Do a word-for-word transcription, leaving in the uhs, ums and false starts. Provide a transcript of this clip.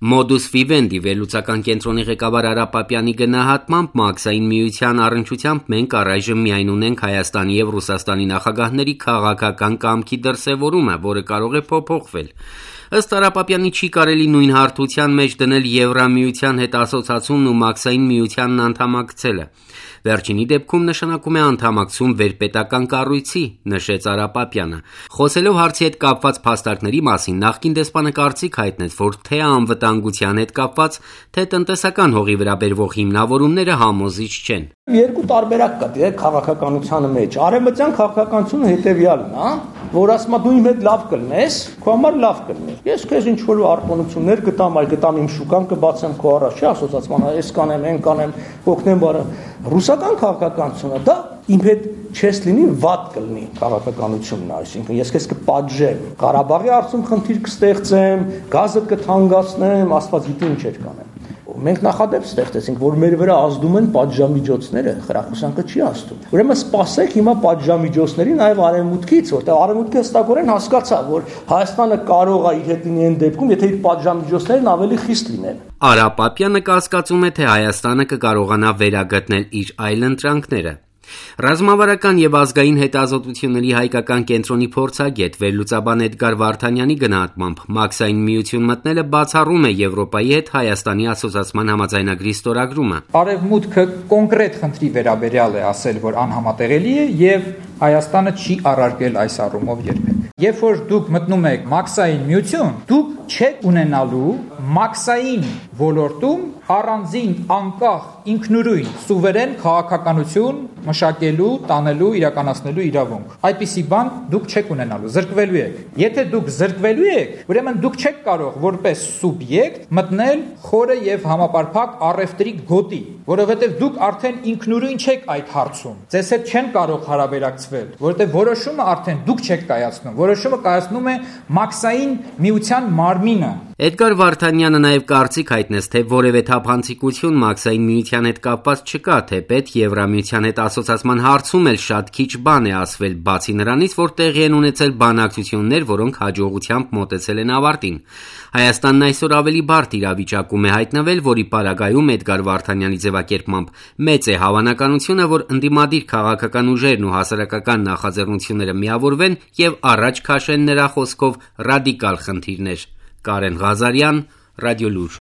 Modus Vivendi վերլուծական կենտրոնի ղեկավար Արա Պապյանի գնահատմամբ Մաքսային միության առնչությամբ մենք առայժմ միայն ունենք Հայաստանի և Ռուսաստանի նախագահների քաղաքական կամքի դրսևորումը, որը կարող է փոփոխվել։ Ըստ Արա Պապյանի չի կարելի նույն հարթության մեջ դնել Եվրամիության հետ ասոցացումն ու Մաքսային միությանն անդամակցելը։ Վերջինի դեպքում նշանակում է անդամակցում վերպետական կառույցի, նշեց Արա Պապյանը։ Խոսելով հարցի հետ կապված փաստարկների մասին, նախկին դեսպանը կարծիք հայտնեց, որ թե անվտանգության հետ կապված, թե տնտեսական հողի վրա բերվող հիմնավորումները համոզիչ չեն։ Երկու տարբերակ կա դե քաղաքականության մեջ։ Արևմտյան քաղաքականությունը հետևյալն է, որ ասում է դու իմ հետ լավ կլնես, քո համար լավ կլինի։ Ես քեզ ինչ որ արտոնություններ գտամ, այլ գտամ իմ շուկան կբացեմ քո առաջ, չի ասոցացման, այս կանեմ, այն կանեմ, օգնեմ բարը։ Ռուսական քաղաքականությունը դա իմ հետ չես լինի, վատ կլինի քաղաքականությունն, այսինքն ես քեզ կպատժեմ, Ղարաբաղի հարցում խնդիր կստեղծեմ, գազը կթանկացնեմ, Աստված գիտի ինչ էր կանեմ։ Մենք նախադեպ ստեղծեցինք, որ մեր վրա ազդում են պատժամիջոցները, խրախուսանքը չի ազդում։ Ուրեմն սպասեք հիմա պատժամիջոցների նաև արևմուտքից, որտեղ արևմուտքը հստակորեն հասկացավ, որ Հայաստանը կարող է իր հետ լինի այն դեպքում, եթե իր պատժամիջոցներն ավելի խիստ լինեն։ Արա Պապյանը կասկածում է, թե Հայաստանը կկարողանա վերագտնել իր այլընտրանքները։ Ռազմավարական և ազգային հետազոտությունների հայկական կենտրոնի փորձագետ վերլուծաբան Էդգար Վարդանյանի գնահատմամբ Մաքսային միություն մտնելը բացառում է Եվրոպայի հետ Հայաստանի ասոցացման համաձայնագրի ստորագրումը։ Արևմուտքը կոնկրետ խնդրի վերաբերյալ է ասել, որ անհամատեղելի է եւ Հայաստանը չի առարկել այս առումով երբեք։ Երբ որ դուք մտնում եք Մաքսային միություն, դուք չեք ունենալու Մաքսային ոլորտում առանձին անկախ ինքնուրույն սուվերեն քաղաքականություն մշակելու, տանելու, իրականացնելու իրավունք։ Այդպիսի բան դուք չեք ունենալու, զրկվելու եք։ Եթե դուք զրկվելու եք, ուրեմն դուք չեք կարող որպես սուբյեկտ մտնել խորը եւ համապարփակ առևտրի գոտի, որովհետեւ դուք արդեն ինքնուրույն չեք այդ հարցում։ Ձեզ հետ չեն կարող հարաբերակցվել, որովհետեւ որոշումը արդեն դուք չեք կայացնում, որոշումը կայացնում է Մաքսային միության մարմինը։ Էդգար Վարդանյանը նաև կարծիք հայտնեց, թե որևէ թափանցիկություն Մաքսային միության հետ կապված չկա, թեպետ Եվրամիության հետ ասոցացման հարցում էլ շատ քիչ բան է ասվել, բացի նրանից, որ տեղի են ունեցել բանակցություններ, որոնք հաջողությամբ մոտեցել են ավարտին։ Հայաստանն այսօր ավելի բարդ իրավիճակում է հայտնվել, որի պարագայում Էդգար Վարդանյանի ձևակերպմամբ մեծ է հավանականությունը, որ ընդդիմադիր քաղաքական ուժերն ու հասարակական նախաձեռնությունները միավորվեն եւ առաջ քաշեն նրա խոսքով ռադիկալ խնդիրներ։ Կարեն Ղազարյան, Ռադիոլուր։